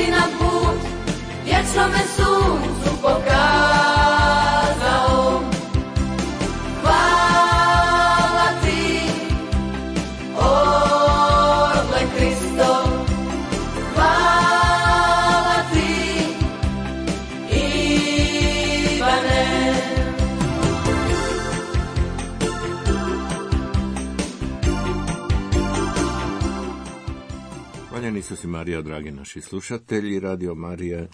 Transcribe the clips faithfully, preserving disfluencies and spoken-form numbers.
nam put vječnome suncu pokazao. Hvala ti, orle Kristov, hvala ti, Ivane. Hvaljeni Isus i Marija, dragi naši slušatelji Radio Marije.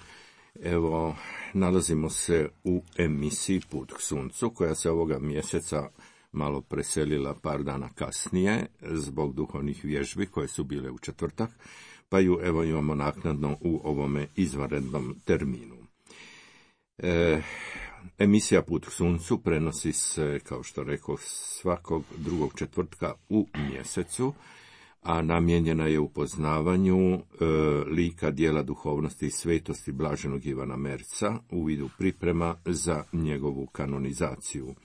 Evo, nalazimo se u emisiji Put k suncu, koja se ovoga mjeseca malo preselila par dana kasnije zbog duhovnih vježbi koje su bile u četvrtak, pa ju evo imamo naknadno u ovome izvanrednom terminu. E, emisija Put k suncu prenosi se, kao što rekao, svakog drugog četvrtka u mjesecu, a namijenjena je upoznavanju e, lika, djela, duhovnosti i svetosti blaženog Ivana Merca u vidu priprema za njegovu kanonizaciju.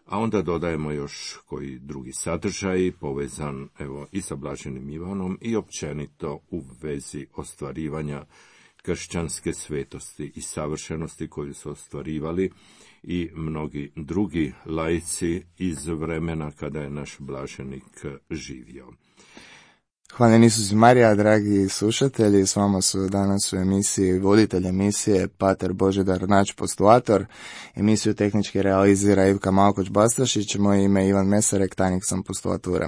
A onda dodajemo još koji drugi sadržaj povezan evo i sa blaženim Ivanom i općenito u vezi ostvarivanja kršćanske svetosti i savršenosti koju su ostvarivali i mnogi drugi laici iz vremena kada je naš blaženik živio. Hvala Isus i Marija, dragi slušatelji, s vama su danas u emisiji voditelj emisije Pater Božidar Nač, postulator. Emisiju tehnički realizira Ivka Malkoć-Bastašić, moje ime je Ivan Mesarek, tajnik sam postulature.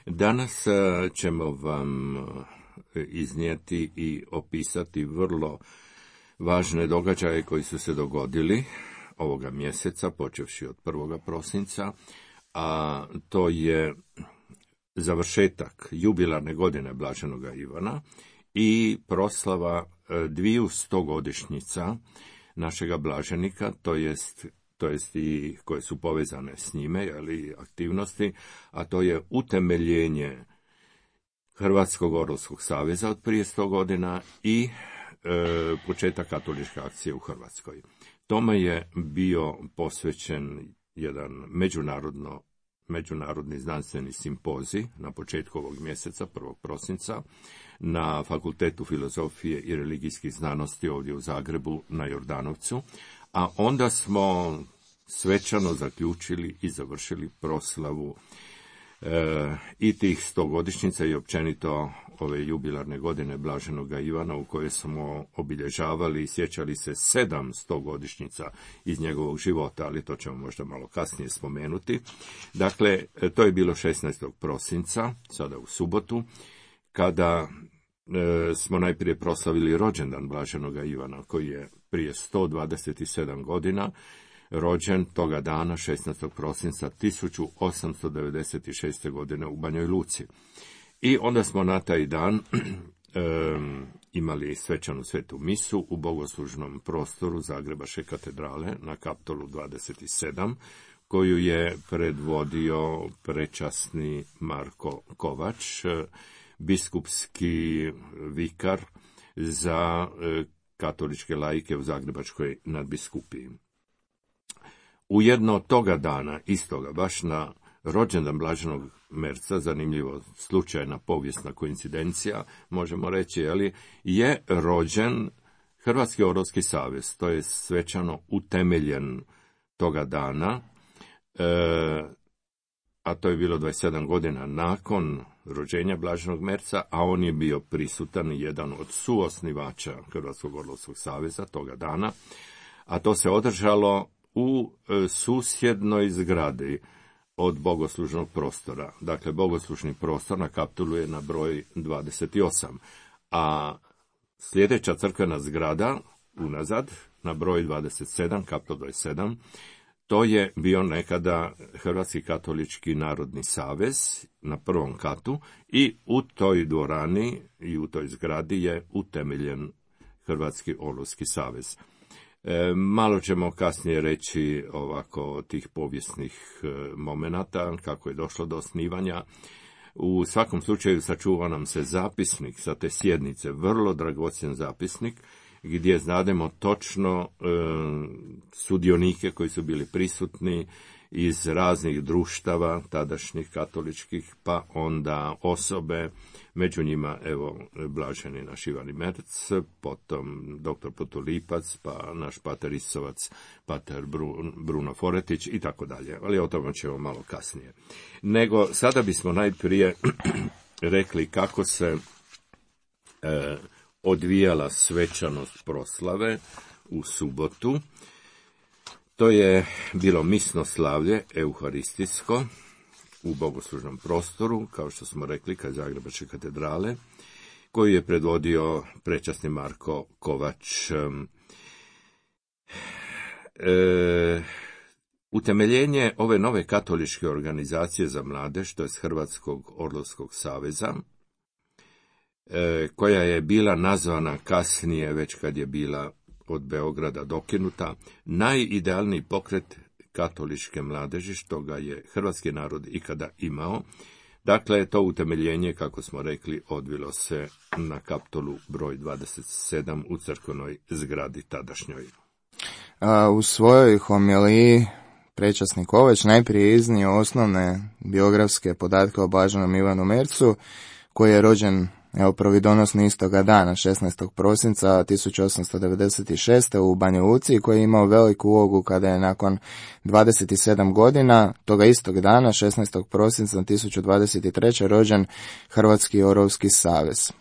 Danas ćemo vam iznijeti i opisati vrlo važne događaje koji su se dogodili ovoga mjeseca, počevši od prvog prosinca, a to je završetak jubilarne godine blaženoga Ivana i proslava dviju stogodišnjica našega blaženika, to jest, to jest i koje su povezane s njime, ali aktivnosti, a to je utemeljenje Hrvatskog orlovskog saveza od prije sto godina i e, početak katoličke akcije u Hrvatskoj. Tome je bio posvećen jedan međunarodno međunarodni znanstveni simpozij na početku ovog mjeseca, prvog prosinca, na Fakultetu filozofije i religijskih znanosti ovdje u Zagrebu na Jordanovcu, a onda smo svečano zaključili i završili proslavu e, i tih stogodišnjica i općenito ove jubilarne godine blaženoga Ivana, u kojoj smo obilježavali i sjećali se sedam stogodišnjica iz njegovog života, ali to ćemo možda malo kasnije spomenuti. Dakle, to je bilo šesnaestog prosinca, sada u subotu, kada e, smo najprije proslavili rođendan blaženoga Ivana, koji je prije sto dvadeset sedam godina rođen toga dana, šesnaestog prosinca tisuću osamsto devedeset šeste. godine u Banjoj Luci. I onda smo na taj dan um, imali svečanu svetu misu u bogoslužnom prostoru Zagrebačke katedrale na Kaptolu dvadeset sedam, koju je predvodio prečasni Marko Kovač, biskupski vikar za katoličke laike u Zagrebačkoj nadbiskupiji. Ujedno toga dana, istoga, baš na rođendan blaženog Merca, zanimljivo slučajna povijesna koincidencija, možemo reći, ali je rođen Hrvatski orlovski savez, to je svečano utemeljen toga dana, e, a to je bilo dvadeset sedam godina nakon rođenja blaženog Merca, a on je bio prisutan, jedan od suosnivača Hrvatskog orlovskog saveza toga dana, a to se održalo u e, susjednoj zgradi od bogoslužnog prostora. Dakle, bogoslužni prostor na Kaptolu je na broj dvadeset osam, a sljedeća crkvena zgrada unazad na broj dvadeset sedam, Kaptol dvadeset sedam, to je bio nekada Hrvatski katolički narodni savez na prvom katu i u toj dvorani i u toj zgradi je utemeljen Hrvatski orlovski savez. E, malo ćemo kasnije reći ovako tih povijesnih e, momenata, kako je došlo do osnivanja. U svakom slučaju sačuva nam se zapisnik sa te sjednice, vrlo dragocjen zapisnik, gdje znademo točno e, sudionike koji su bili prisutni iz raznih društava tadašnjih katoličkih, pa onda osobe, među njima, evo, blaženi naš Ivan Merc, potom doktor Potulipac, pa naš pater Isovac, pater Bruno Foretić i tako dalje, ali o tome ćemo malo kasnije. Nego, sada bismo najprije rekli kako se e, odvijala svečanost proslave u subotu. To je bilo misno slavlje, euharistijsko, u bogoslužnom prostoru, kao što smo rekli, kod Zagrebačke katedrale, koju je predvodio prečasni Marko Kovač. E, utemeljenje ove nove katoličke organizacije za mladež, to je Hrvatskog orlovskog saveza, e, koja je bila nazvana kasnije, već kad je bila od Beograda dokinuta, najidealniji pokret katoličke mladeži što ga je hrvatski narod ikada imao. Dakle, to utemeljenje, kako smo rekli, odvilo se na Kaptolu broj dvadeset sedam u crkvenoj zgradi tadašnjoj. A, u svojoj homiliji prečasni Kovač najprije iznio osnovne biografske podatke o blaženom Ivanu Mercu, koji je rođen Evo providonosni istoga dana, šesnaestog prosinca tisuću osamsto devedeset šeste. u Banja Luci, koji je imao veliku ulogu kada je nakon dvadeset sedam godina toga istog dana, šesnaestog prosinca tisuću dvadeset treće. rođen Hrvatski orovski savez.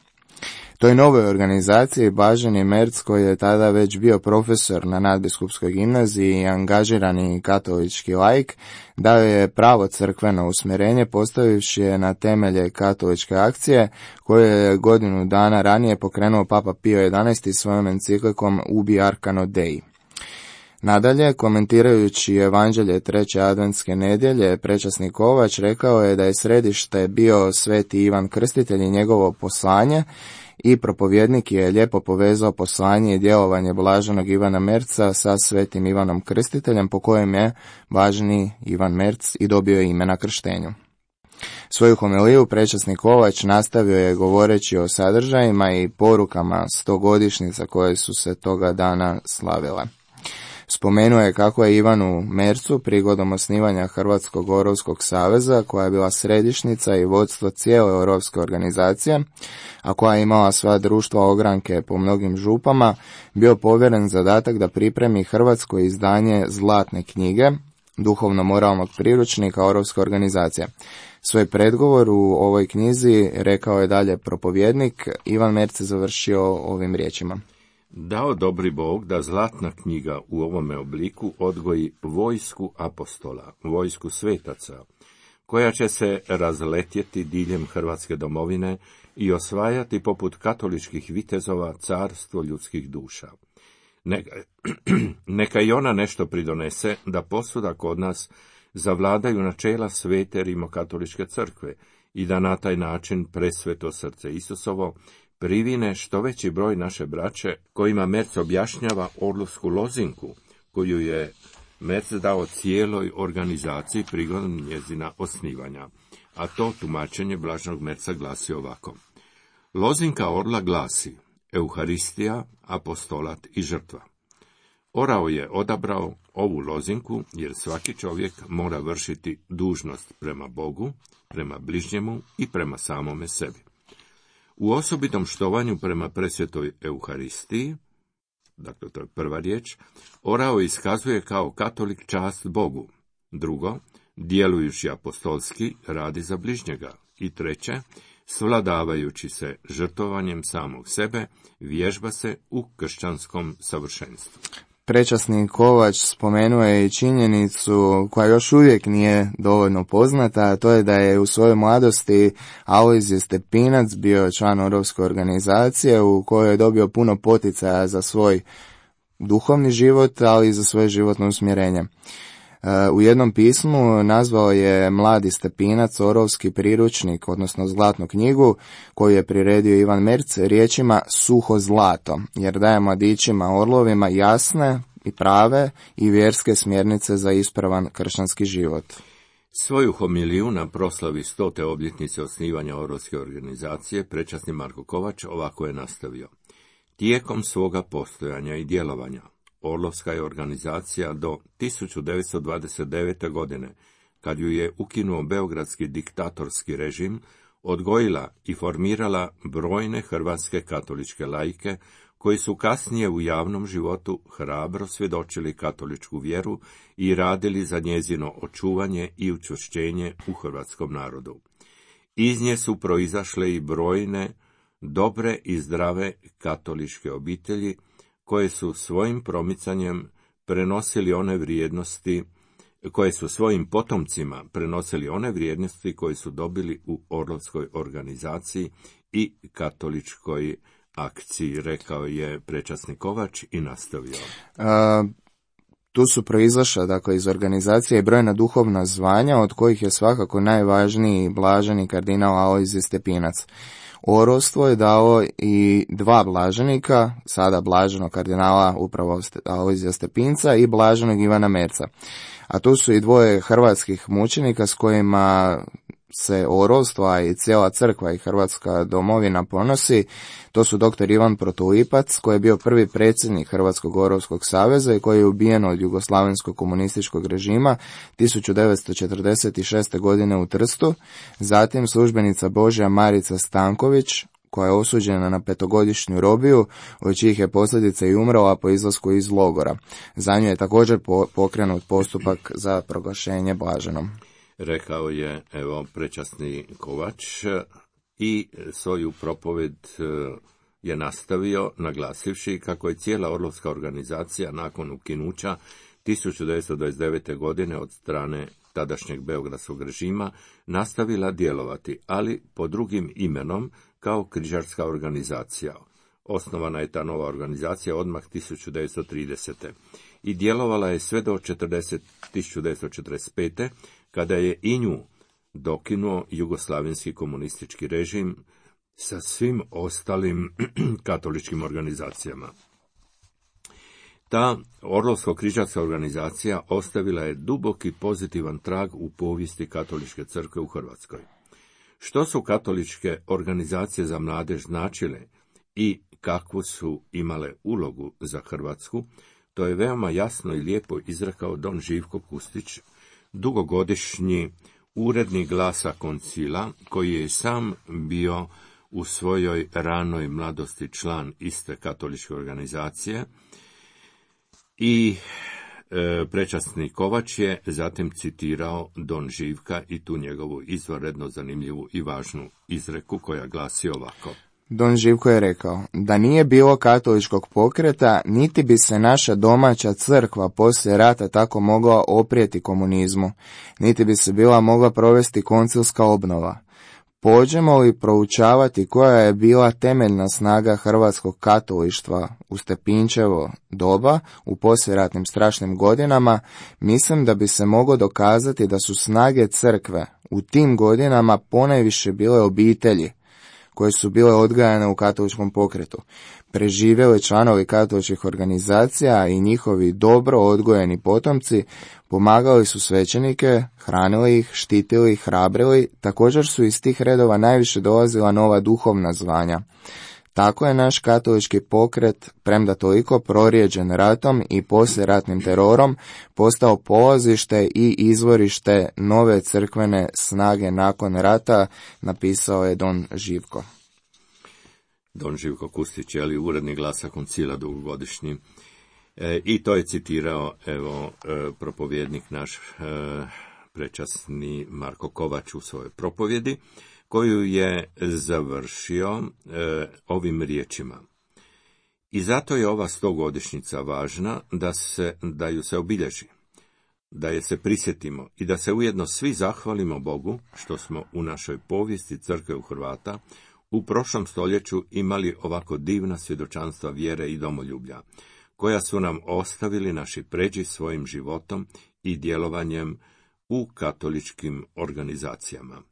Toj novoj organizaciji blaženi Merc, koji je tada već bio profesor na nadbiskupskoj gimnaziji i angažirani katolički laik, dao je pravo crkveno usmjerenje, postavivši je na temelje katoličke akcije, koje je godinu dana ranije pokrenuo Papa Pio jedanaesti svojom enciklikom Ubi Arcano Dei. Nadalje, komentirajući evanđelje treće adventske nedjelje, prečasni Kovač rekao je da je središte bio sveti Ivan Krstitelj i njegovo poslanje, i propovjednik je lijepo povezao poslanje i djelovanje blaženog Ivana Merca sa svetim Ivanom Krstiteljem, po kojem je blaženi Ivan Merc i dobio ime na krštenju. Svoju homiliju prečasni Kovač nastavio je govoreći o sadržajima i porukama stogodišnjica koje su se toga dana slavile. Spomenuo je kako je Ivanu Mercu prigodom osnivanja Hrvatskog orovskog saveza, koja je bila središnica i vodstvo cijele orovske organizacije, a koja je imala sva društva ogranke po mnogim župama, bio povjeren zadatak da pripremi hrvatsko izdanje zlatne knjige, duhovno-moralnog priručnika orovske organizacije. Svoj predgovor u ovoj knjizi, rekao je dalje propovjednik, Ivan Merc je završio ovim riječima. Dao dobri Bog da zlatna knjiga u ovome obliku odgoji vojsku apostola, vojsku svetaca, koja će se razletjeti diljem Hrvatske domovine i osvajati poput katoličkih vitezova carstvo ljudskih duša. Neka, neka i ona nešto pridonese da posuda kod nas zavladaju načela svete rimokatoličke crkve i da na taj način presveto srce Isusovo privine što veći broj naše braće, kojima Merc objašnjava orlovsku lozinku, koju je Merc dao cijeloj organizaciji prigodom njezina osnivanja, a to tumačenje blaženog Merca glasi ovako. Lozinka orla glasi Euharistija, apostolat i žrtva. Orao je odabrao ovu lozinku jer svaki čovjek mora vršiti dužnost prema Bogu, prema bližnjemu i prema samome sebi. U osobitom štovanju prema presvetoj Euharistiji, dakle to je prva riječ, orao iskazuje kao katolik čast Bogu. Drugo, djelujući apostolski, radi za bližnjega. I treće, svladavajući se žrtvovanjem samog sebe, vježba se u kršćanskom savršenstvu. Prečasni Kovač spomenuo je i činjenicu koja još uvijek nije dovoljno poznata, a to je da je u svojoj mladosti Alojzije Stepinac bio član orovske organizacije u kojoj je dobio puno poticaja za svoj duhovni život, ali i za svoje životno usmjerenje. U jednom pismu nazvao je mladi Stepinac orovski priručnik, odnosno zlatnu knjigu, koju je priredio Ivan Merc riječima suho zlato, jer daje mladićima orlovima jasne i prave i vjerske smjernice za ispravan kršćanski život. Svoju homiliju na proslavi stote obljetnice osnivanja orovske organizacije prečasni Marko Kovač ovako je nastavio. Tijekom svoga postojanja i djelovanja Orlovska je organizacija do tisuću devetsto dvadeset devete. godine, kad ju je ukinuo beogradski diktatorski režim, odgojila i formirala brojne hrvatske katoličke laike, koji su kasnije u javnom životu hrabro svjedočili katoličku vjeru i radili za njezino očuvanje i učvršćenje u hrvatskom narodu. Iz nje su proizašle i brojne dobre i zdrave katoličke obitelji, koje su svojim promicanjem prenosili one vrijednosti, koje su svojim potomcima prenosili one vrijednosti koje su dobili u Orlovskoj organizaciji i katoličkoj akciji, rekao je prečasni Kovač i nastavio. A, tu su proizašla, dakle, iz organizacije i brojna duhovna zvanja, od kojih je svakako najvažniji blaženi kardinal Alojzije Stepinac. Orlovstvo je dao i dva blaženika, sada blaženog kardinala upravo Alojzija Stepinca i blaženog Ivana Merca. A tu su i dvoje hrvatskih mučenika s kojima se Orlovstvo i cijela crkva i Hrvatska domovina ponosi. To su doktor Ivan Protulipac, koji je bio prvi predsjednik Hrvatskog Orlovskog saveza i koji je ubijen od jugoslavenskog komunističkog režima tisuću devetsto četrdeset šeste. godine u Trstu. Zatim službenica Božja Marica Stanković, koja je osuđena na petogodišnju robiju, od čijih je posljedica i umrla po izlasku iz logora. Za nju je također pokrenut postupak za proglašenje blaženom. Rekao je, evo, prečasni Kovač i svoju propoved je nastavio naglasivši kako je cijela Orlovska organizacija nakon ukinuća tisuću devetsto dvadeset devete. godine od strane tadašnjeg beogradskog režima nastavila djelovati, ali pod drugim imenom kao križarska organizacija. Osnovana je ta nova organizacija odmah tisuću devetsto tridesete. i djelovala je sve do tisuću devetsto četrdeset pete. kada je i nju dokinuo jugoslavenski komunistički režim sa svim ostalim katoličkim organizacijama. Ta Orlovsko-križarska organizacija ostavila je duboki pozitivan trag u povijesti katoličke crkve u Hrvatskoj. Što su katoličke organizacije za mladež značile i kakvu su imale ulogu za Hrvatsku, to je veoma jasno i lijepo izrekao don Živko Kustić, dugogodišnji urednik Glasa Koncila, koji je sam bio u svojoj ranoj mladosti član iste katoličke organizacije, i e, prečasni Kovač je zatim citirao don Živka i tu njegovu izvanredno zanimljivu i važnu izreku koja glasi ovako. Don Živko je rekao, da nije bilo katoličkog pokreta, niti bi se naša domaća crkva poslije rata tako mogla oprijeti komunizmu, niti bi se bila mogla provesti koncilska obnova. Pođemo li proučavati koja je bila temeljna snaga hrvatskog katolištva u Stepinčevo doba, u poslijeratnim strašnim godinama, mislim da bi se moglo dokazati da su snage crkve u tim godinama ponajviše bile obitelji, koje su bile odgajane u katoličkom pokretu. Preživjeli članovi katoličkih organizacija i njihovi dobro odgojeni potomci pomagali su svećenike, hranili ih, štitili ih, hrabrili, također su iz tih redova najviše dolazila nova duhovna zvanja. Tako je naš katolički pokret, premda toliko prorijeđen ratom i poslijeratnim terorom, postao polazište i izvorište nove crkvene snage nakon rata, napisao je don Živko. Don Živko Kustić, ali urednik Glasa Koncila dugogodišnji. E, I to je citirao, evo, e, propovjednik naš, e, prečasni Marko Kovač u svojoj propovjedi, koju je završio e, ovim riječima. I zato je ova stogodišnjica važna da, se, da ju se obilježi, da je se prisjetimo i da se ujedno svi zahvalimo Bogu što smo u našoj povijesti crkve u Hrvata u prošlom stoljeću imali ovako divna svjedočanstva vjere i domoljublja, koja su nam ostavili naši pređi svojim životom i djelovanjem u katoličkim organizacijama.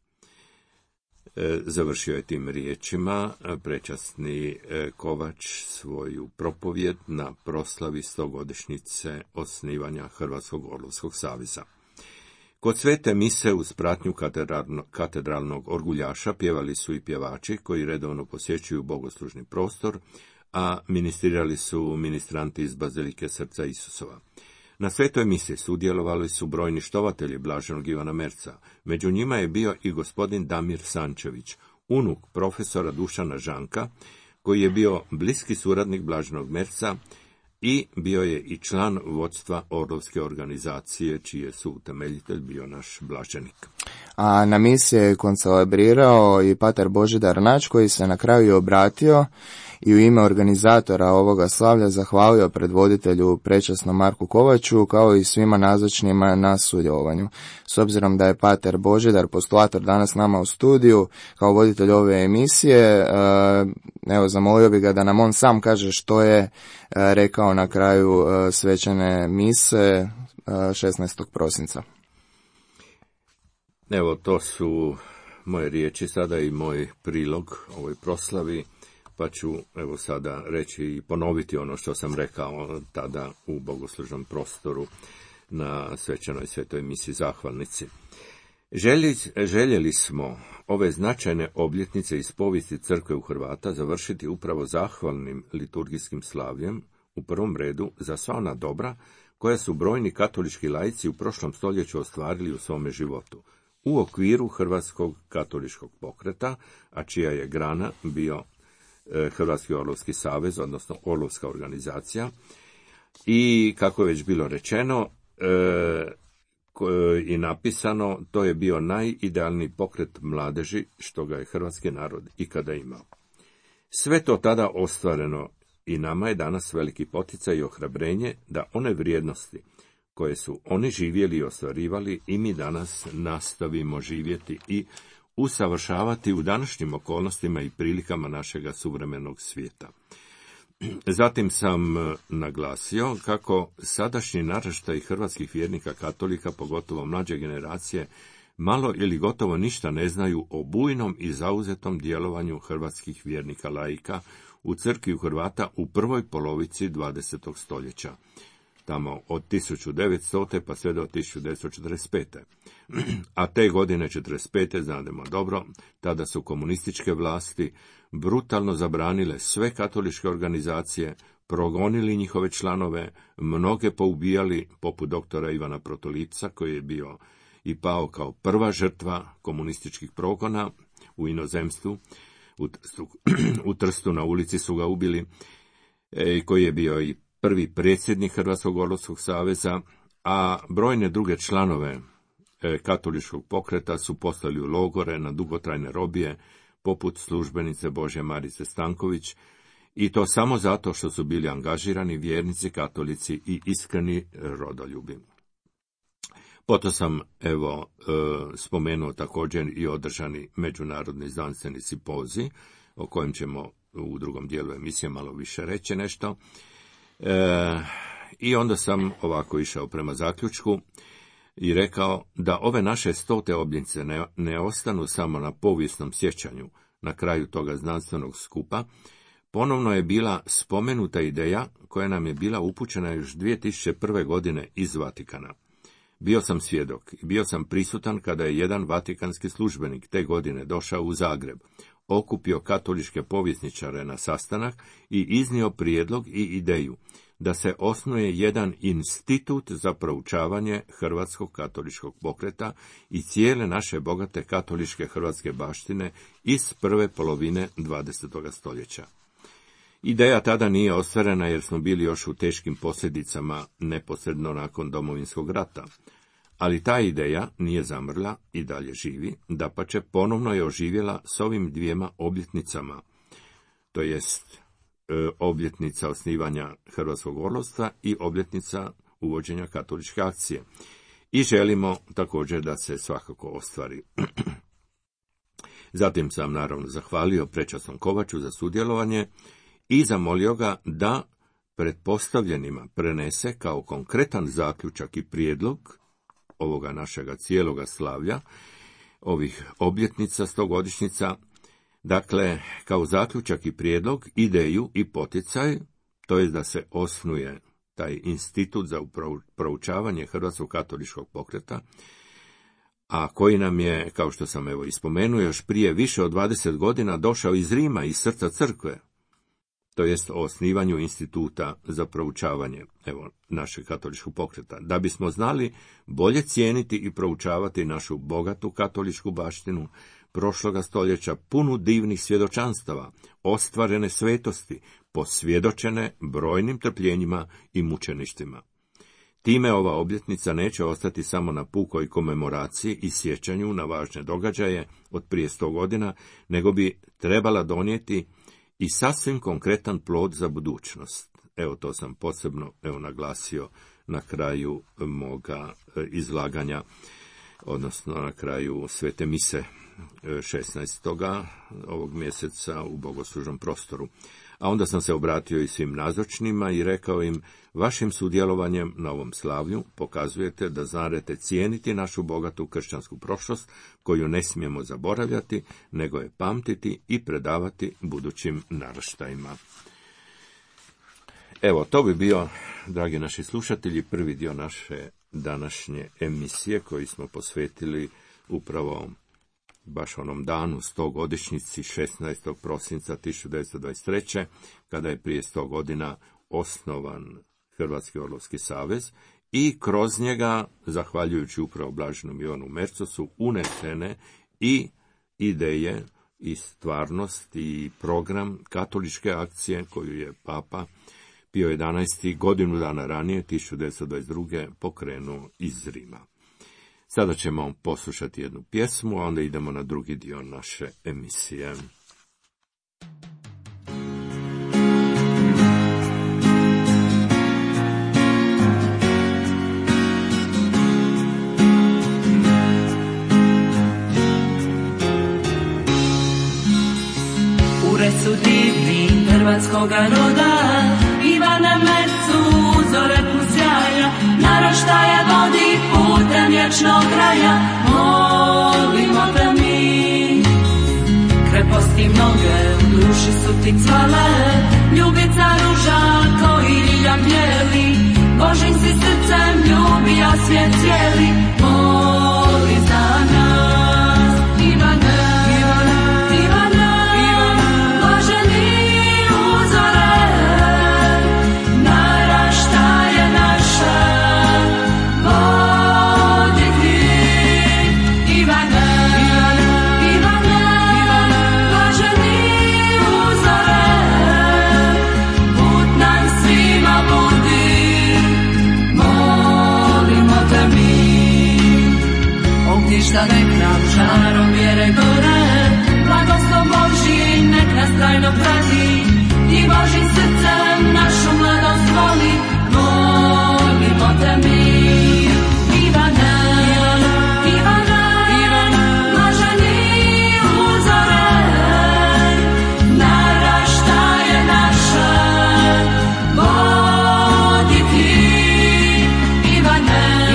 E, završio je tim riječima prečasni Kovač svoju propovjed na proslavi stogodišnjice osnivanja Hrvatskog Orlovskog saveza. Kod svete mise uz pratnju katedralnog orguljaša pjevali su i pjevači koji redovno posjećuju bogoslužni prostor, a ministrirali su ministranti iz Bazilike Srca Isusova. Na svetoj misiji sudjelovali su brojni štovatelji blaženog Ivana Merca. Među njima je bio i gospodin Damir Sančević, unuk profesora Dušana Žanka, koji je bio bliski suradnik blaženog Merca i bio je i član vodstva Orlovske organizacije, čiji je suutemeljitelj bio naš blaženik. A na misiji je koncelebrirao i pater Božidar Nač, koji se na kraju obratio i u ime organizatora ovoga slavlja zahvalio predvoditelju prečasnom Marku Kovaču, kao i svima nazočnima na sudjelovanju. S obzirom da je pater Božidar postulator danas nama u studiju kao voditelj ove emisije, evo zamolio bi ga da nam on sam kaže što je rekao na kraju svečane mise šesnaestog prosinca. Evo, to su moje riječi sada i moj prilog ovoj proslavi, pa ću evo sada reći i ponoviti ono što sam rekao tada u bogoslužnom prostoru na svečanoj svetoj misi zahvalnici. Željeli, željeli smo ove značajne obljetnice iz povijesti crkve u Hrvata završiti upravo zahvalnim liturgijskim slavljem, u prvom redu za sva ona dobra koja su brojni katolički laici u prošlom stoljeću ostvarili u svome životu, u okviru Hrvatskog katoličkog pokreta, a čija je grana bio e, Hrvatski Orlovski savez, odnosno Orlovska organizacija, i kako je već bilo rečeno e, i napisano, to je bio najidealniji pokret mladeži što ga je hrvatski narod ikada imao. Sve to tada ostvareno i nama je danas veliki poticaj i ohrabrenje da one vrijednosti koje su oni živjeli i ostvarivali i mi danas nastavimo živjeti i usavršavati u današnjim okolnostima i prilikama našega suvremenog svijeta. Zatim sam naglasio kako sadašnji naraštaj hrvatskih vjernika katolika, pogotovo mlađe generacije, malo ili gotovo ništa ne znaju o bujnom i zauzetom djelovanju hrvatskih vjernika laika u crkvi u Hrvata u prvoj polovici dvadesetog stoljeća, tamo od tisuću devetstote pa sve do tisuću devetsto četrdeset pete. A te godine četrdeset pete, znademo dobro, tada su komunističke vlasti brutalno zabranile sve katoličke organizacije, progonili njihove članove, mnoge poubijali, poput doktora Ivana Protolipca, koji je bio i pao kao prva žrtva komunističkih progona u inozemstvu. U Trstu, u Trstu na ulici su ga ubili, e, koji je bio i prvi predsjednik Hrvatskog Orlovskog saveza, a brojne druge članove e, katoličkog pokreta su poslali u logore na dugotrajne robije, poput službenice Božje Marice Stanković, i to samo zato što su bili angažirani vjernici, katolici i iskreni rodoljubi. Potom sam, evo, e, spomenuo također i održani međunarodni znanstveni simpozij, o kojem ćemo u drugom dijelu emisije malo više reći nešto. E, I onda sam ovako išao prema zaključku i rekao da ove naše stote obljetnice ne, ne ostanu samo na povijesnom sjećanju na kraju toga znanstvenog skupa. Ponovno je bila spomenuta ideja koja nam je bila upućena još dvije tisuće prve. godine iz Vatikana. Bio sam svjedok i bio sam prisutan kada je jedan vatikanski službenik te godine došao u Zagreb, okupio katoličke povjesničare na sastanak i iznio prijedlog i ideju da se osnuje jedan institut za proučavanje hrvatskog katoličkog pokreta i cijele naše bogate katoličke hrvatske baštine iz prve polovine dvadesetog stoljeća. Ideja tada nije ostvarena jer smo bili još u teškim posljedicama neposredno nakon Domovinskog rata, ali ta ideja nije zamrla i dalje živi, dapače ponovno je oživjela s ovim dvijema obljetnicama, to jest e, obljetnica osnivanja Hrvatskog orlovstva i obljetnica uvođenja katoličke akcije. I želimo također da se svakako ostvari. Zatim sam naravno zahvalio prečasnom Kovaču za sudjelovanje i zamolio ga da pretpostavljenima prenese kao konkretan zaključak i prijedlog ovoga našega cijeloga slavlja, ovih obljetnica, stogodišnjica, dakle, kao zaključak i prijedlog, ideju i poticaj, to je da se osnuje taj institut za proučavanje Hrvatskog katoličkog pokreta, a koji nam je, kao što sam evo ispomenuo, još prije više od dvadeset godina došao iz Rima, iz srca crkve. to jest o osnivanju instituta za proučavanje, evo, našeg katoličkog pokreta, da bismo znali bolje cijeniti i proučavati našu bogatu katoličku baštinu prošloga stoljeća, punu divnih svjedočanstava, ostvarene svetosti, posvjedočene brojnim trpljenjima i mučeništvima. Time ova obljetnica neće ostati samo na pukoj komemoraciji i sjećanju na važne događaje od prije sto godina, nego bi trebala donijeti i sasvim konkretan plod za budućnost. Evo, to sam posebno evo, naglasio na kraju moga izlaganja, odnosno na kraju svete mise šesnaestoga ovog mjeseca u bogoslužnom prostoru. A onda sam se obratio i svim nazočnima i rekao im, vašim sudjelovanjem na ovom slavlju pokazujete da znate cijeniti našu bogatu kršćansku prošlost, koju ne smijemo zaboravljati, nego je pamtiti i predavati budućim naraštajima. Evo, to bi bio, dragi naši slušatelji, prvi dio naše današnje emisije koji smo posvetili upravo baš onom danu, stogodišnjici, šesnaestog prosinca tisuću devetsto dvadeset treće. kada je prije sto godina osnovan Hrvatski orlovski savez i kroz njega, zahvaljujući upravo blaženom Ivanu Mercosu, unesene i ideje i stvarnost i program katoličke akcije koju je Papa Pio jedanaesti. godinu dana ranije, tisuću devetsto dvadeset druge. pokrenuo iz Rima. Sada ćemo poslušati jednu pjesmu, a onda idemo na drugi dio naše emisije. Ure su divni hrvatskoga roda, Ivana Mercu uzore plus jaja, naraštaja vodi putem vječnog kraja. Molimo te mi, kreposti mnoge u duši su ti cvale, ljubica ruža koji ljiljak bijeli, Božim si srcem ljubija svijet cijeli. Moli za nas, Ivane, ništa nek nam žarom vjere gore, blagoslov Božji nek nas trajno prati i Božim srcem našu mladost voli. Molimo te mi, Ivane, Ivane, blaženi uzore, naraštaje naše vodi ti. Ivane,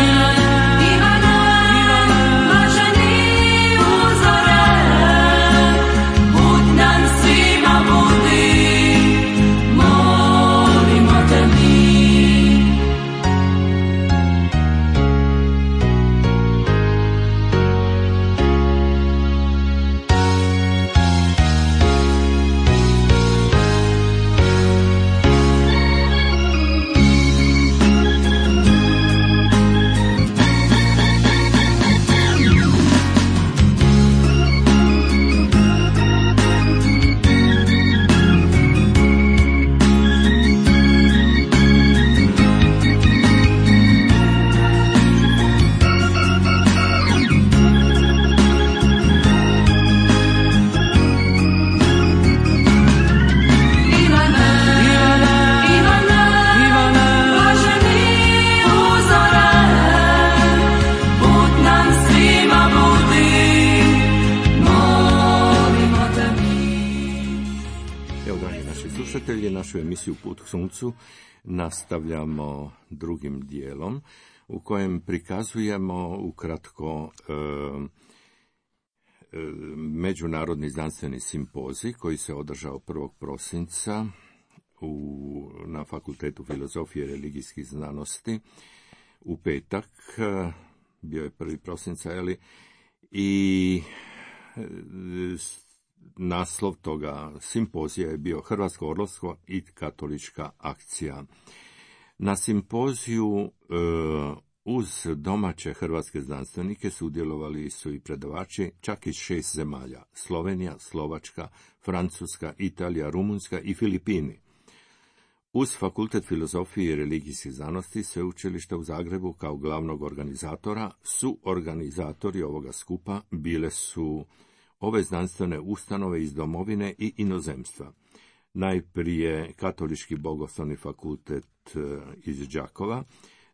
našu emisiju Put k suncu nastavljamo drugim dijelom u kojem prikazujemo ukratko e, e, međunarodni znanstveni simpozij koji se održao prvog prosinca u, na Fakultetu filozofije i religijskih znanosti u petak, bio je prvi prosinca, eli, i naslov toga simpozija je bio Hrvatsko orlovstvo i katolička akcija. Na simpoziju e, uz domaće hrvatske znanstvenike sudjelovali su i predavači čak iz šest zemalja: Slovenija, Slovačka, Francuska, Italija, Rumunjska i Filipini. Uz Fakultet filozofije i religijskih znanosti Sveučilišta u Zagrebu kao glavnog organizatora, su organizatori ovoga skupa bile su ove znanstvene ustanove iz domovine i inozemstva. Najprije Katolički bogoslovni fakultet iz Đakova,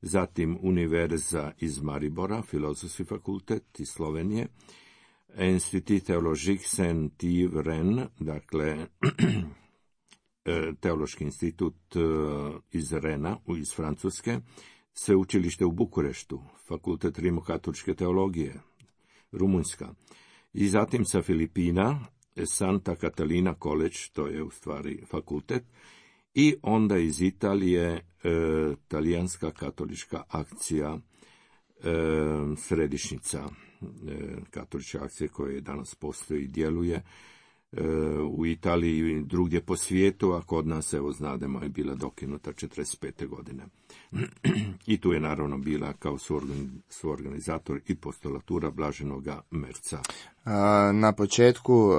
zatim Univerza iz Maribora, Filozofski fakultet iz Slovenije, Institut Theologique Saint-Yves Rennes, dakle Teološki institut iz Rena, iz Francuske, Sveučilište u Bukureštu, Fakultet rimokatoličke teologije, Rumunjska, i zatim sa Filipina, Santa Catalina College, to je u stvari fakultet, i onda iz Italije e, talijanska katolička akcija, e, središnjica e, katoličke akcije koja danas postoji i djeluje e, u Italiji i drugdje po svijetu, a kod nas, evo znademo, je bila dokinuta četrdeset pete godine. I tu je naravno bila kao suorganizator i postulatura Blaženoga Merca. Na početku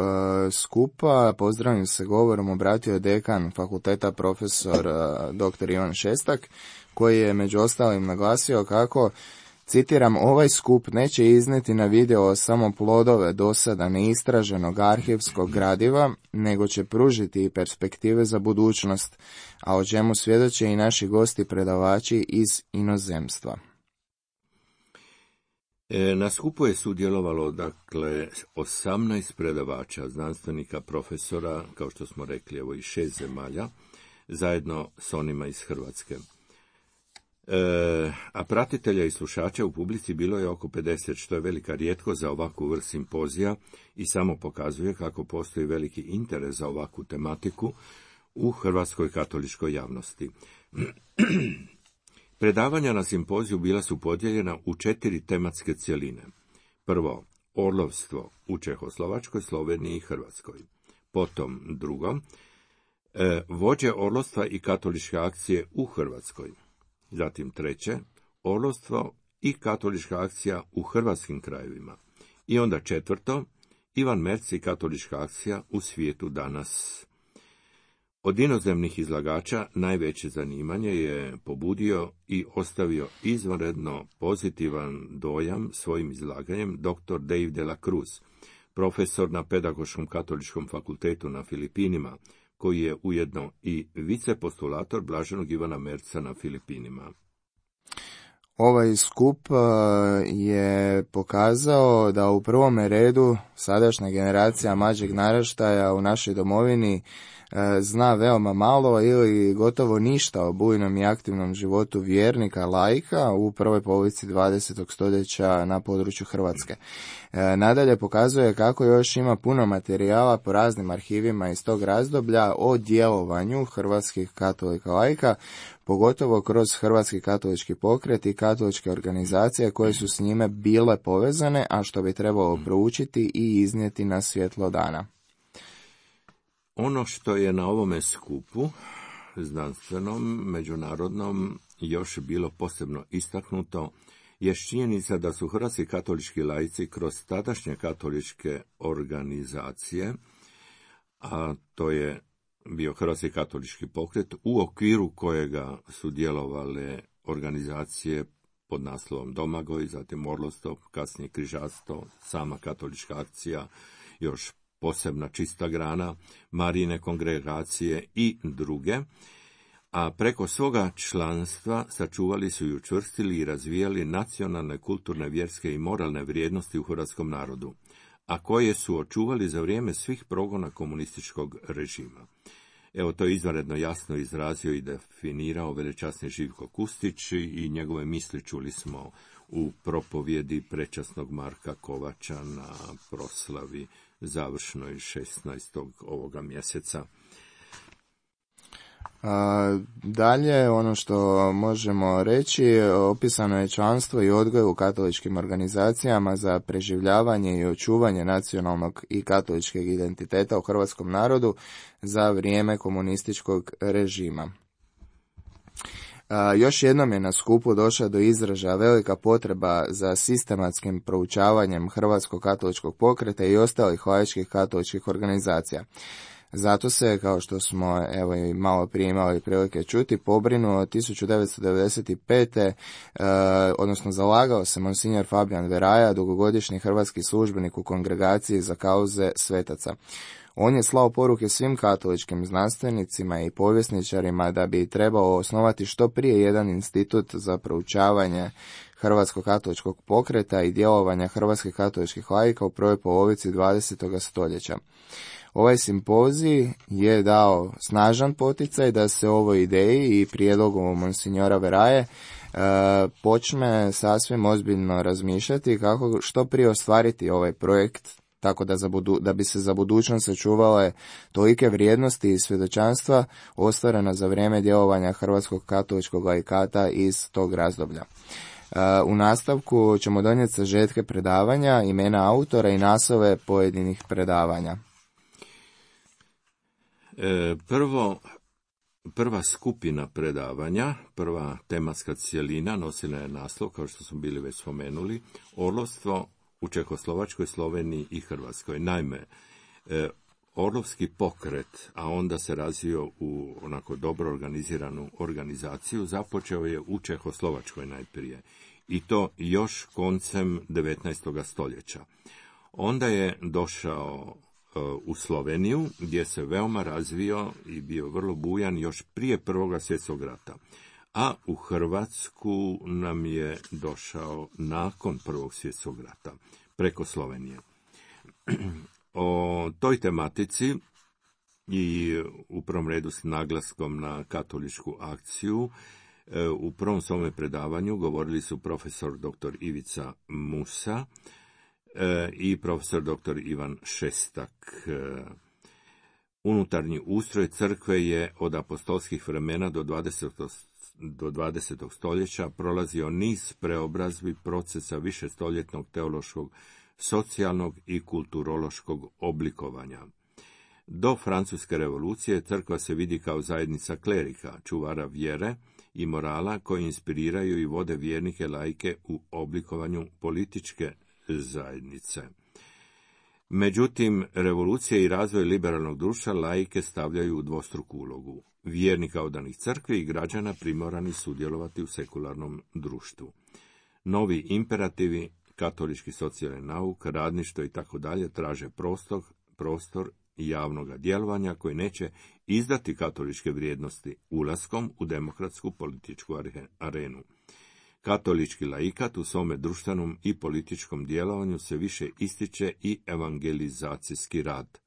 skupa pozdravim se govorom obratio dekan fakulteta profesor doktor Ivan Šestak, koji je među ostalim naglasio kako, citiram, ovaj skup neće izneti na video samo plodove dosada neistraženog arhivskog gradiva, nego će pružiti i perspektive za budućnost, a o čemu svjedoče i naši gosti predavači iz inozemstva. Na skupu je sudjelovalo, dakle, osamnaest predavača, znanstvenika, profesora, kao što smo rekli, evo i šest zemalja, zajedno s onima iz Hrvatske. E, a pratitelja i slušača u publici bilo je oko pedeset, što je velika rijetkost za ovakvu vrst simpozija i samo pokazuje kako postoji veliki interes za ovakvu tematiku u hrvatskoj katoličkoj javnosti. Predavanja na simpoziju bila su podijeljena u četiri tematske cjeline. Prvo, orlovstvo u Čehoslovačkoj, Sloveniji i Hrvatskoj. Potom, drugo, e, vođe orlovstva i katoličke akcije u Hrvatskoj. Zatim treće, orlovstvo i katolička akcija u hrvatskim krajevima. I onda četvrto, Ivan Merc i katolička akcija u svijetu danas. Od inozemnih izlagača najveće zanimanje je pobudio i ostavio izvanredno pozitivan dojam svojim izlaganjem doktor Dave de la Cruz, profesor na Pedagoškom katoličkom fakultetu na Filipinima, koji je ujedno i vicepostulator Blaženog Ivana Merca na Filipinima. Ovaj skup je pokazao da u prvome redu sadašnja generacija mlađeg naraštaja u našoj domovini zna veoma malo ili gotovo ništa o bujnom i aktivnom životu vjernika laika u prvoj polovici dvadesetog stoljeća na području Hrvatske. Nadalje pokazuje kako još ima puno materijala po raznim arhivima iz tog razdoblja o djelovanju hrvatskih katolika laika, pogotovo kroz Hrvatski katolički pokret i katoličke organizacije koje su s njime bile povezane, a što bi trebalo proučiti i iznijeti na svjetlo dana. Ono što je na ovome skupu, znanstvenom, međunarodnom, još bilo posebno istaknuto, je činjenica da su hrvatski katolički laici kroz tadašnje katoličke organizacije, a to je bio Hrvatski katolički pokret, u okviru kojega su djelovale organizacije pod naslovom Domagoj, zatim Orlovstvo, kasnije Križarstvo, sama katolička akcija, još posebna čista grana, Marijine kongregacije i druge, a preko svoga članstva sačuvali su i učvrstili i razvijali nacionalne, kulturne, vjerske i moralne vrijednosti u hrvatskom narodu, a koje su očuvali za vrijeme svih progona komunističkog režima. Evo, to je izvanredno jasno izrazio i definirao velečasni Živko Kustić i njegove misli čuli smo u propovjedi prečasnog Marka Kovača na proslavi završnoj šesnaestog ovoga mjeseca. A, dalje, ono što možemo reći, opisano je članstvo i odgoj u katoličkim organizacijama za preživljavanje i očuvanje nacionalnog i katoličkog identiteta u hrvatskom narodu za vrijeme komunističkog režima. A, još jednom je na skupu došla do izražaja velika potreba za sistematskim proučavanjem hrvatskog katoličkog pokreta i ostalih laičkih katoličkih organizacija. Zato se, kao što smo evo i malo prije imali prilike čuti, pobrinuo tisuću devetsto devedeset pete. E, odnosno zalagao se monsignor Fabijan Veraja, dugogodišnji hrvatski službenik u kongregaciji za kauze svetaca. On je slao poruke svim katoličkim znanstvenicima i povjesničarima da bi trebao osnovati što prije jedan institut za proučavanje hrvatskog katoličkog pokreta i djelovanja hrvatskih katoličkih laika u prvoj polovici dvadesetog stoljeća. Ovaj simpozij je dao snažan poticaj da se ovoj ideji i prijedlogu monsignora Veraje e, počne sasvim ozbiljno razmišljati kako što prije ostvariti ovaj projekt, tako da, za budu, da bi se za budućnost sačuvale tolike vrijednosti i svjedočanstva ostvarena za vrijeme djelovanja hrvatskog katoličkog laikata iz tog razdoblja. U nastavku ćemo donijeti sažetke predavanja, imena autora i naslove pojedinih predavanja. E, prvo, prva skupina predavanja, prva tematska cjelina nosila je naslov, kao što smo bili već spomenuli, orlovstvo u Čehoslovačkoj, Sloveniji i Hrvatskoj. Naime, e, orlovski pokret, a onda se razvio u onako dobro organiziranu organizaciju, započeo je u Čehoslovačkoj najprije, i to još koncem devetnaestog stoljeća. Onda je došao u Sloveniju, gdje se veoma razvio i bio vrlo bujan još prije Prvog svjetskog rata. A u Hrvatsku nam je došao nakon Prvog svjetskog rata, preko Slovenije. O toj tematici i u prvom redu s naglaskom na katoličku akciju u prvom svome predavanju govorili su profesor doktor Ivica Musa i profesor doktor Ivan Šestak. Unutarnji ustroj crkve je od apostolskih vremena do dvadesetog do dvadesetog stoljeća prolazio niz preobrazbi procesa višestoljetnog teološkog, socijalnog i kulturološkog oblikovanja. Do Francuske revolucije crkva se vidi kao zajednica klerika, čuvara vjere i morala koji inspiriraju i vode vjernike laike u oblikovanju političke zajednice. Međutim, revolucija i razvoj liberalnog društva laike stavljaju u dvostruku ulogu. Vjernika odanih crkvi i građana primorani sudjelovati u sekularnom društvu. Novi imperativi, katolički socijalni nauk, radništvo i tako dalje traže prostor, prostor javnog djelovanja koji neće izdati katoličke vrijednosti ulaskom u demokratsku političku arenu. Katolički laikat u svome društvenom i političkom djelovanju se više ističe i evangelizacijski rad.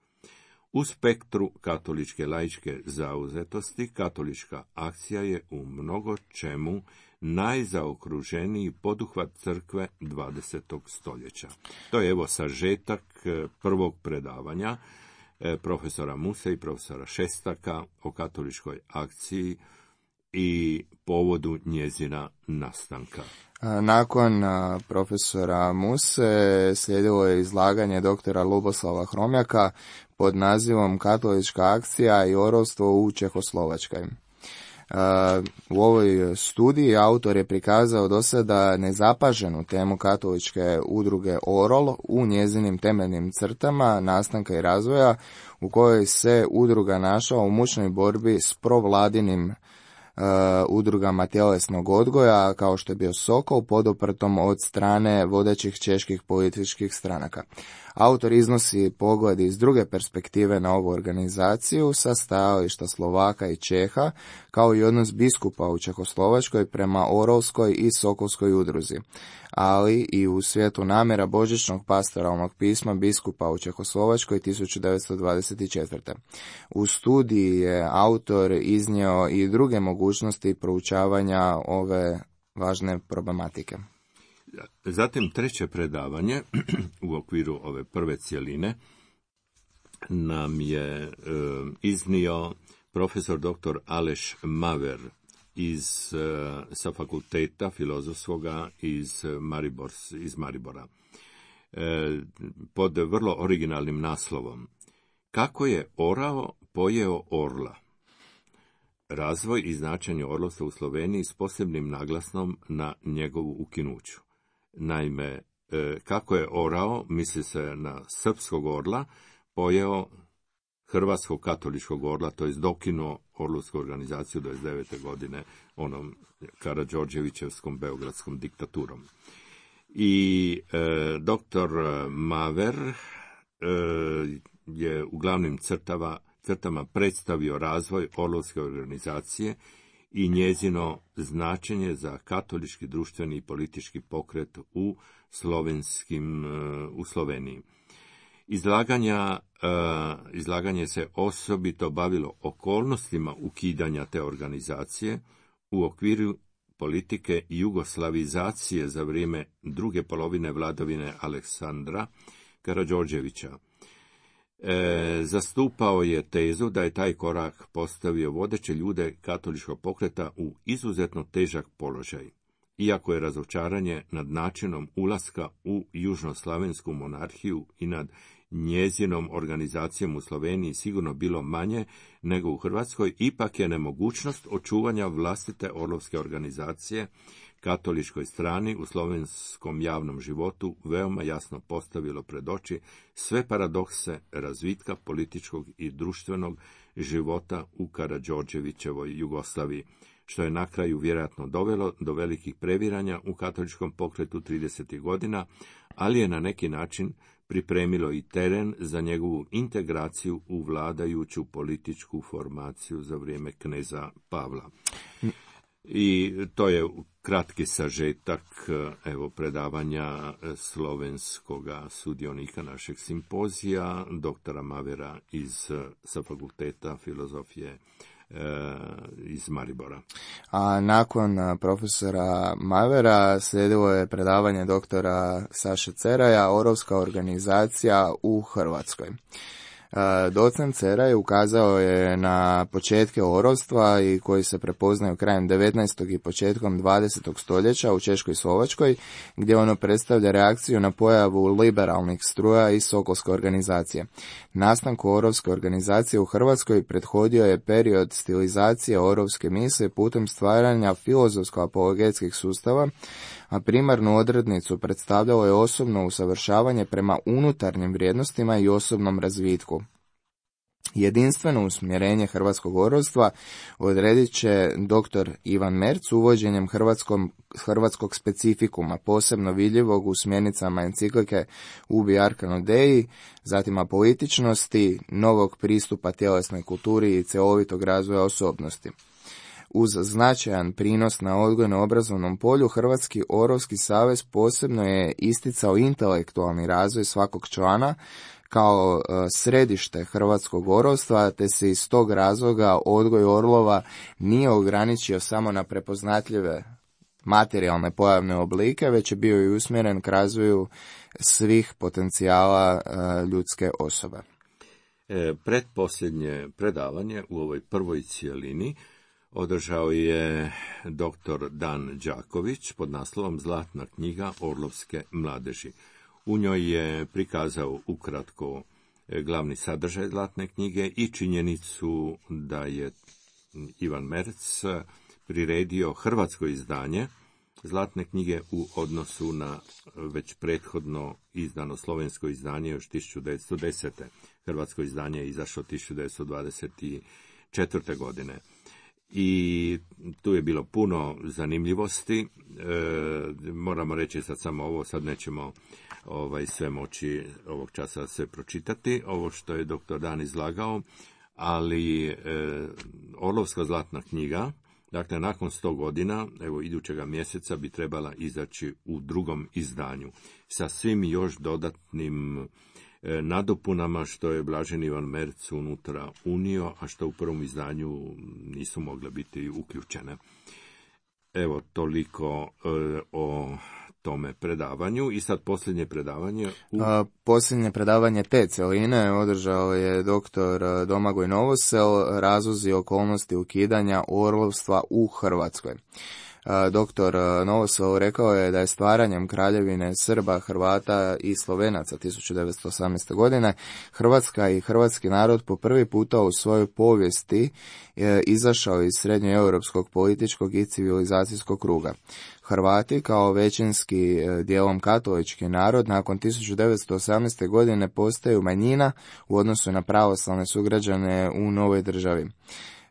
U spektru katoličke laičke zauzetosti, katolička akcija je u mnogo čemu najzaokruženiji poduhvat crkve dvadesetog stoljeća. To je evo sažetak prvog predavanja profesora Muse i profesora Šestaka o katoličkoj akciji i povodu njezina nastanka. Nakon profesora Muse slijedilo je izlaganje doktora Luboslava Hromjaka pod nazivom Katolička akcija i orlovstvo u Čehoslovačkoj. U ovoj studiji autor je prikazao do sada nezapaženu temu katoličke udruge Orol u njezinim temeljnim crtama nastanka i razvoja, u kojoj se udruga našla u mučnoj borbi s provladinim Uh, udrugama tjelesnog odgoja, kao što je bio Sokol, poduprtom od strane vodećih čeških političkih stranaka. Autor iznosi pogled iz druge perspektive na ovu organizaciju sa stajališta Slovaka i Čeha, kao i odnos biskupa u Čehoslovačkoj prema Orolskoj i Sokolskoj udruzi, ali i u svijetu namjera božićnog pastoralnog pisma biskupa u Čehoslovačkoj tisuću devetsto dvadeset četvrte. U studiji je autor iznio i druge mogućnosti proučavanja ove važne problematike. Zatim treće predavanje u okviru ove prve cjeline nam je e, iznio profesor doktor Aleš Maver iz, sa fakulteta filozofskoga iz, Maribor, iz Maribora, pod vrlo originalnim naslovom Kako je orao pojeo orla? Razvoj i značenje orlovstva u Sloveniji s posebnim naglasnom na njegovu ukinuću. Naime, kako je orao, misli se na srpskog orla, pojeo hrvatskog katoličkog orla, to je dokinuo orlovsku organizaciju dvadeset devete godine onom Karađorđevićevskom beogradskom diktaturom. I e, doktor Maver e, je u glavnim crtava, crtama predstavio razvoj orlovske organizacije i njezino značenje za katolički društveni i politički pokret u slovenskim, u Sloveniji. Izlaganja, izlaganje se osobito bavilo okolnostima ukidanja te organizacije u okviru politike jugoslavizacije za vrijeme druge polovine vladavine Aleksandra Karađorđevića. E, zastupao je tezu da je taj korak postavio vodeće ljude katoličkog pokreta u izuzetno težak položaj, iako je razočaranje nad načinom ulaska u južnoslavensku monarhiju i nad njezinom organizacijom u Sloveniji sigurno bilo manje nego u Hrvatskoj, ipak je nemogućnost očuvanja vlastite orlovske organizacije katoličkoj strani u slovenskom javnom životu veoma jasno postavilo pred oči sve paradokse razvitka političkog i društvenog života u Karađorđevićevoj Jugoslaviji, što je na kraju vjerojatno dovelo do velikih previranja u katoličkom pokretu tridesetih godina, ali je na neki način pripremilo i teren za njegovu integraciju u vladajuću političku formaciju za vrijeme kneza Pavla. I to je kratki sažetak evo predavanja slovenskoga sudionika našeg simpozija, doktora Mavera iz sa fakulteta filozofije iz Maribora. A nakon profesora Mavera slijedilo je predavanje doktora Saše Ceraja, Orlovska organizacija u Hrvatskoj. Docent Ceraj ukazao je na početke orovstva i koji se prepoznaju krajem devetnaestog i početkom dvadesetog stoljeća u Češkoj i Slovačkoj, gdje ono predstavlja reakciju na pojavu liberalnih struja i sokolske organizacije. Nastanku orovske organizacije u Hrvatskoj prethodio je period stilizacije orovske misli putem stvaranja filozofsko-apologetskih sustava, a primarnu odrednicu predstavljalo je osobno usavršavanje prema unutarnjim vrijednostima i osobnom razvitku. Jedinstveno usmjerenje hrvatskog orovstva odredit će doktor Ivan Merc uvođenjem hrvatskog specifikuma, posebno vidljivog u smjernicama enciklike Ubi Arcano Dei, zatim apolitičnosti, novog pristupa tjelesnoj kulturi i cjelovitog razvoja osobnosti. Uz značajan prinos na odgojno-obrazovnom polju, Hrvatski orovski savez posebno je isticao intelektualni razvoj svakog člana kao središte hrvatskog orovstva, te se iz tog razloga odgoj orlova nije ograničio samo na prepoznatljive materijalne pojavne oblike, već je bio i usmjeren k razvoju svih potencijala ljudske osobe. E, predposljednje predavanje u ovoj prvoj cijelini održao je doktor Dan Đaković pod naslovom Zlatna knjiga orlovske mladeži. U njoj je prikazao ukratko glavni sadržaj Zlatne knjige i činjenicu da je Ivan Merc priredio hrvatsko izdanje Zlatne knjige u odnosu na već prethodno izdano slovensko izdanje još tisuću devetsto desete. Hrvatsko izdanje je izašlo tisuću devetsto dvadeset četvrte. godine. I tu je bilo puno zanimljivosti. E, moramo reći sad samo ovo, sad nećemo ovaj, sve moći ovog časa sve pročitati, ovo što je doktor Dan izlagao, ali e, Orlovska zlatna knjiga, dakle nakon sto godina, evo idućega mjeseca bi trebala izaći u drugom izdanju, sa svim još dodatnim nadopunama što je blaženi Ivan Merc unutra unio, a što u prvom izdanju nisu mogle biti uključene. Evo, toliko e, o tome predavanju. I sad posljednje predavanje. U... A, posljednje predavanje te celine održao je doktor Domagoj Novosel, razlozi i okolnosti ukidanja orlovstva u Hrvatskoj. Doktor Novosel rekao je da je stvaranjem Kraljevine Srba, Hrvata i Slovenaca tisuću devetsto osamnaeste. godine Hrvatska i hrvatski narod po prvi puta u svojoj povijesti izašao iz srednjoeuropskog političkog i civilizacijskog kruga. Hrvati kao većinski dijelom katolički narod nakon tisuću devetsto osamnaeste. godine postaju manjina u odnosu na pravoslavne sugrađane u novoj državi.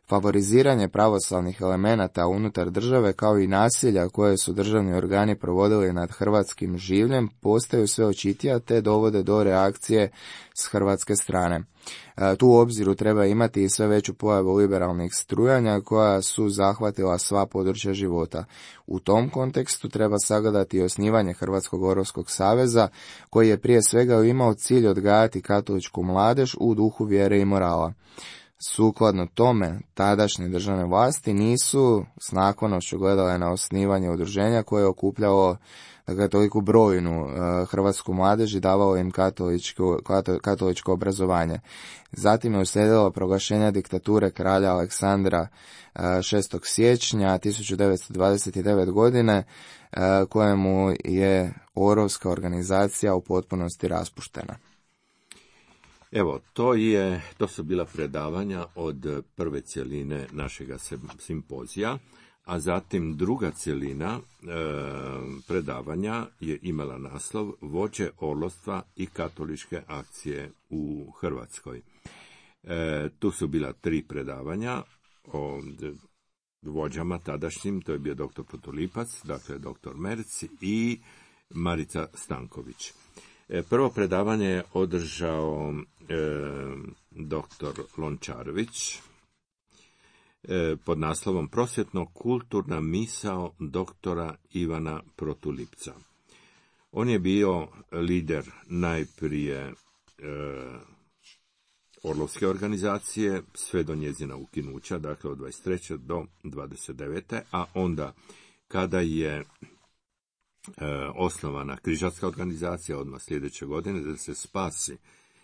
Favoriziranje pravoslavnih elemenata unutar države kao i nasilja koje su državni organi provodili nad hrvatskim življem postaju sve očitija te dovode do reakcije s hrvatske strane. Tu u obziru treba imati i sve veću pojavu liberalnih strujanja koja su zahvatila sva područja života. U tom kontekstu treba sagledati i osnivanje Hrvatskog orovskog saveza koji je prije svega imao cilj odgajati katoličku mladež u duhu vjere i morala. Sukladno tome, tadašnje državne vlasti nisu s naklonošću gledale na osnivanje udruženja koje je okupljalo dakle, toliku brojnu uh, hrvatsku mladež i davalo im katoličko, katoličko obrazovanje. Zatim je uslijedilo proglašenje diktature kralja Aleksandra uh, šestog siječnja tisuću devetsto dvadeset devete. godine, uh, kojemu je orovska organizacija u potpunosti raspuštena. Evo, to je, to su bila predavanja od prve cjeline našega simpozija, a zatim druga cjelina e, predavanja je imala naslov Vođe orlovstva i katoličke akcije u Hrvatskoj. E, tu su bila tri predavanja o vođama tadašnjim, to je bio doktor Potulipac, dakle doktor Merc i Marica Stanković. Prvo predavanje je održao e, doktor Lončarević e, pod naslovom Prosvjetno-kulturna misao doktora Ivana Protulipca. On je bio lider najprije e, orlovske organizacije sve do njezina ukinuća, dakle od dvadeset treće do dvadeset devete. a onda kada je E, osnovana križarska organizacija odmah sljedeće godine da se spasi,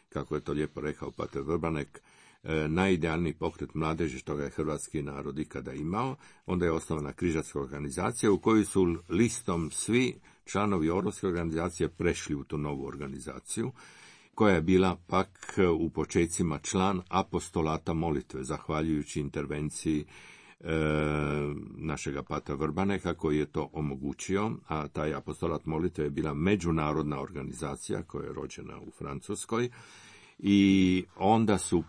kako je to lijepo rekao pater Vrbanek, e, najidealniji pokret mladeži što ga je hrvatski narod ikada imao. Onda je osnovana križarska organizacija u kojoj su listom svi članovi orlovske organizacije prešli u tu novu organizaciju, koja je bila pak u počecima član apostolata molitve, zahvaljujući intervenciji E, našega patra Vrbaneka koji je to omogućio, a taj apostolat molitve je bila međunarodna organizacija koja je rođena u Francuskoj i onda su,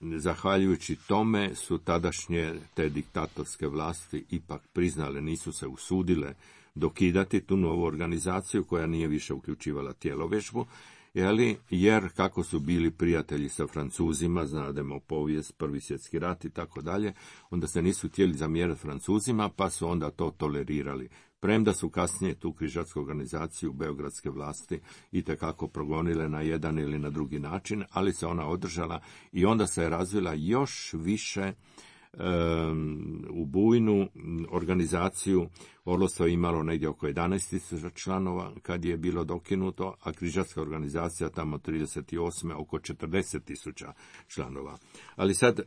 zahvaljujući tome, su tadašnje te diktatorske vlasti ipak priznale, nisu se usudile dokidati tu novu organizaciju koja nije više uključivala tjelovježbu, Jeli, jer kako su bili prijatelji sa Francuzima, znademo povijest, prvi svjetski rat i tako dalje, onda se nisu htjeli zamjerati Francuzima, pa su onda to tolerirali. Premda su kasnije tu križarsku organizaciju beogradske vlasti itekako progonile na jedan ili na drugi način, ali se ona održala i onda se je razvila još više um, u bujnu organizaciju. Orlovstvo je imalo negdje oko jedanaest tisuća članova kad je bilo dokinuto, a križarska organizacija tamo trideset osme oko četrdeset tisuća članova. Ali sad, e,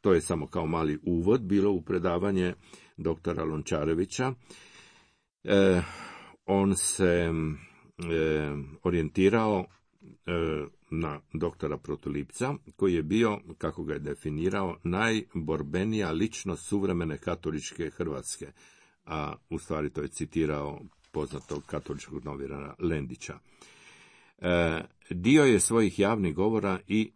to je samo kao mali uvod bilo u predavanje doktora Lončarevića. E, on se e, orijentirao e, na doktora Protulipca, koji je bio, kako ga je definirao, najborbenija ličnost suvremene katoličke Hrvatske, a u stvari to je citirao poznatog katoličkog novinara Lendića. E, dio je svojih javnih govora i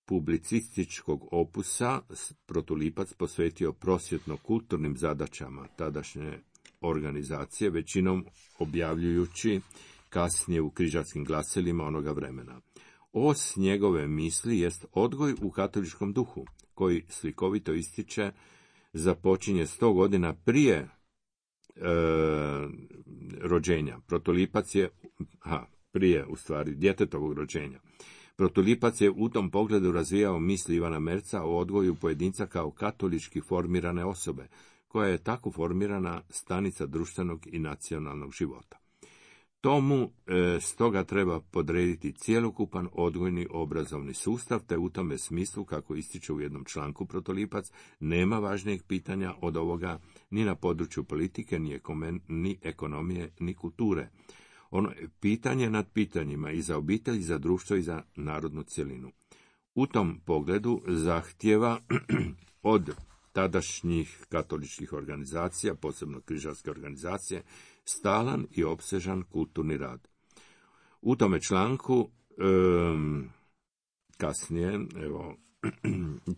publicističkog opusa Protulipac posvetio prosvjetno-kulturnim zadaćama tadašnje organizacije, većinom objavljujući kasnije u križarskim glasilima onoga vremena. Os njegove misli jest odgoj u katoličkom duhu, koji slikovito ističe započinje sto godina prije e, rođenja. Protulipac je, ha, prije u stvari djetetovog rođenja. Protulipac je u tom pogledu razvijao misli Ivana Merca o odgoju pojedinca kao katolički formirane osobe, koja je tako formirana stanica društvenog i nacionalnog života. Tomu e, stoga treba podrediti cjelokupan odgojni obrazovni sustav, te u tome smislu, kako ističe u jednom članku Protolipac, nema važnijeg pitanja od ovoga ni na području politike, ni, ekomen, ni ekonomije, ni kulture. Ono je pitanje nad pitanjima i za obitelj, i za društvo, i za narodnu cjelinu. U tom pogledu zahtjeva od tadašnjih katoličkih organizacija, posebno križarske organizacije, stalan i opsežan kulturni rad. U tome članku um, kasnije evo,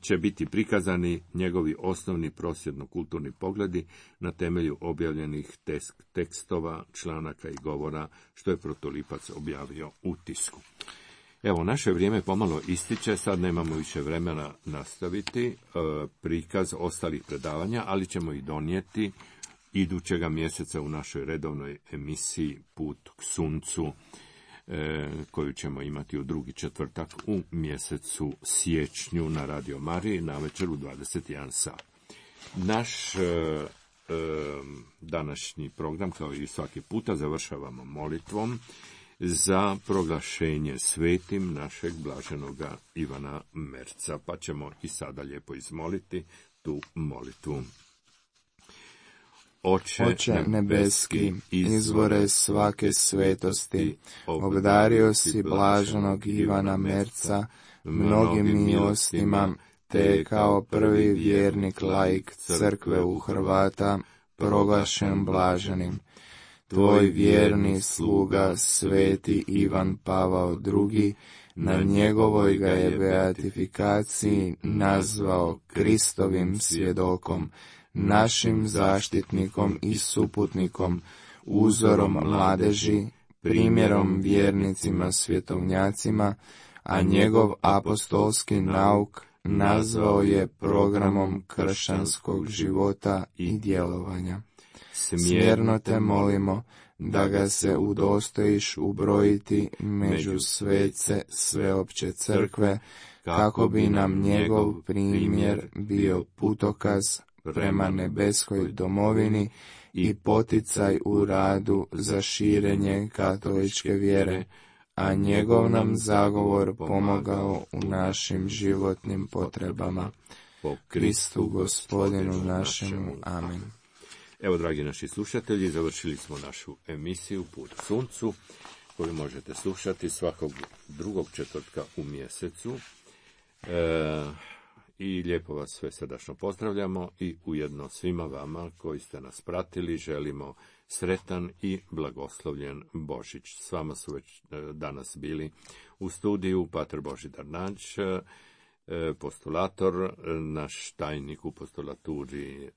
će biti prikazani njegovi osnovni prosvjedno-kulturni pogledi na temelju objavljenih tek- tekstova, članaka i govora, što je Protolipac objavio u tisku. Evo, naše vrijeme pomalo ističe, sad nemamo više vremena nastaviti e, prikaz ostalih predavanja, ali ćemo ih donijeti idućega mjeseca u našoj redovnoj emisiji Put k suncu, e, koju ćemo imati u drugi četvrtak u mjesecu siječnju na Radio Mariji navečer u dvadeset jedan sat. Naš e, e, današnji program, kao i svaki puta, završavamo molitvom za proglašenje svetim našeg blaženoga Ivana Merca, pa ćemo i sada lijepo izmoliti tu molitvu. Oče, Oče nebeski, izvore svake svetosti, obdario si blaženog Ivana Merca mnogim milostima, te kao prvi vjernik laik crkve u Hrvata proglašen blaženim. Tvoj vjerni sluga, sveti Ivan Pavao drugi, na njegovoj ga je beatifikaciji nazvao Kristovim svjedokom, našim zaštitnikom i suputnikom, uzorom mladeži, primjerom vjernicima svjetovnjacima, a njegov apostolski nauk nazvao je programom kršćanskog života i djelovanja. Smjerno te molimo da ga se udostojiš ubrojiti među svece sveopće crkve, kako bi nam njegov primjer bio putokaz prema nebeskoj domovini i poticaj u radu za širenje katoličke vjere, a njegov nam zagovor pomogao u našim životnim potrebama. Po Kristu Gospodinu našemu. Amen. Evo, dragi naši slušatelji, završili smo našu emisiju Put k suncu, koju možete slušati svakog drugog četvrtka u mjesecu. E, I lijepo vas sve srdačno pozdravljamo i ujedno svima vama koji ste nas pratili želimo sretan i blagoslovljen Božić. S vama su već danas bili u studiju pater Božidar Nađ, postulator, naš tajnik u postulaturi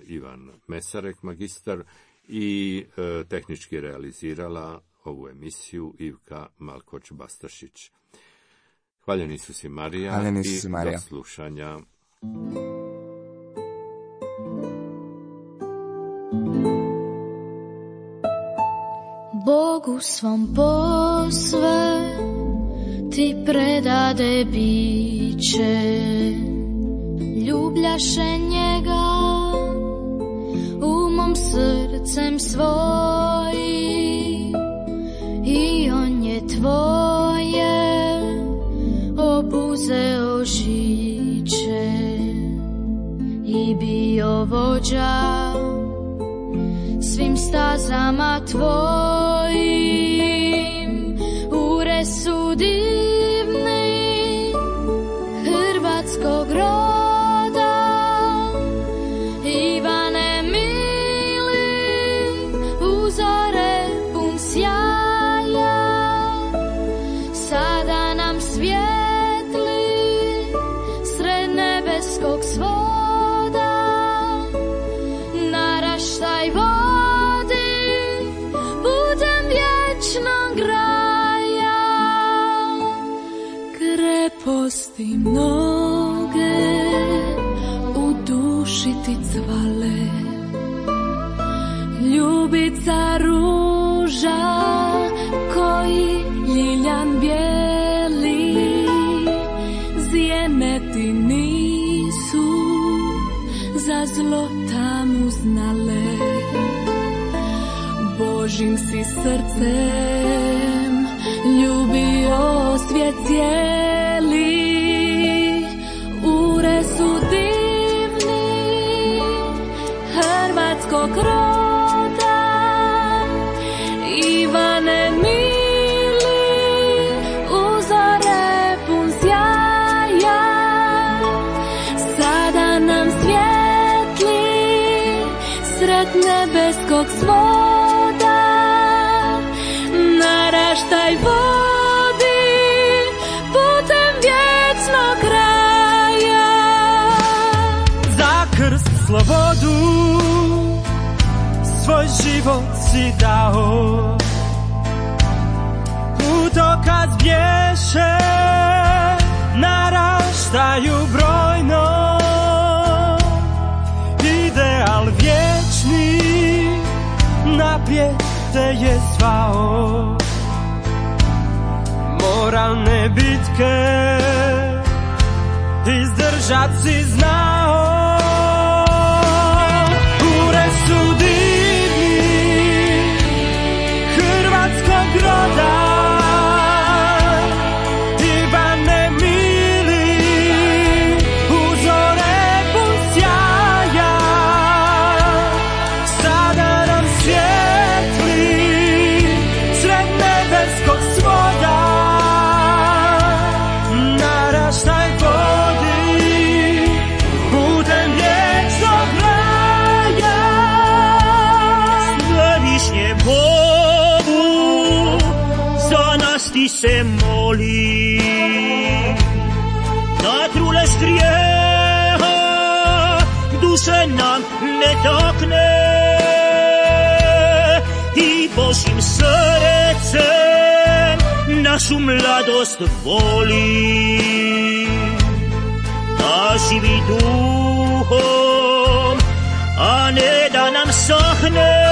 Ivan Mesarek, magistar, i tehnički realizirala ovu emisiju Ivka Malkoč-Bastašić. Hvaljen Isus i Marija, Hvaljen Isus i Marija. Do slušanja. Bogu svom posve ti predade biće, ljubljaše njega umom srcem svojim, i on je tvoje obuzeo žiće i bio vođa svim stazama tvojim. Ure su divni hrvatskog roda, Ivane mili, uzore pun sjaja, sada nam svijetli sred nebeskog svoda, naraštaj vodi putem vječnog raja. Kreposti mnoge u duši ti cvale, ljubica ruža koji ljiljan bijeli, zjene ti nisu za zlo života mu znale. Božim si srcem ljubio svijet cijeli, ure su divni hrvatskog roda, Ivane mili, uzore pun sjaja, sada nam svijetli sred nebeskog svoda, naraštaj vodi putem vječnog kraja. Za krst slobodu svoj život si dao, putokaz bješe naraštaju brojno, ideal vječni naprijed te je zvao, moralne bitke izdržat si znao. Ure su divni hrvatskog roda, Ivane mili, uzore pun sjaja, sada nam svijetli sred nebeskog svoda, naraštaj vodi putem vječnog kraja. Svevišnje Bogu za nas ti se moli, da trule strijeha duše nam ne takne i Božim srcem našu mladost voli, da živi duhom, a ne da nam sahne.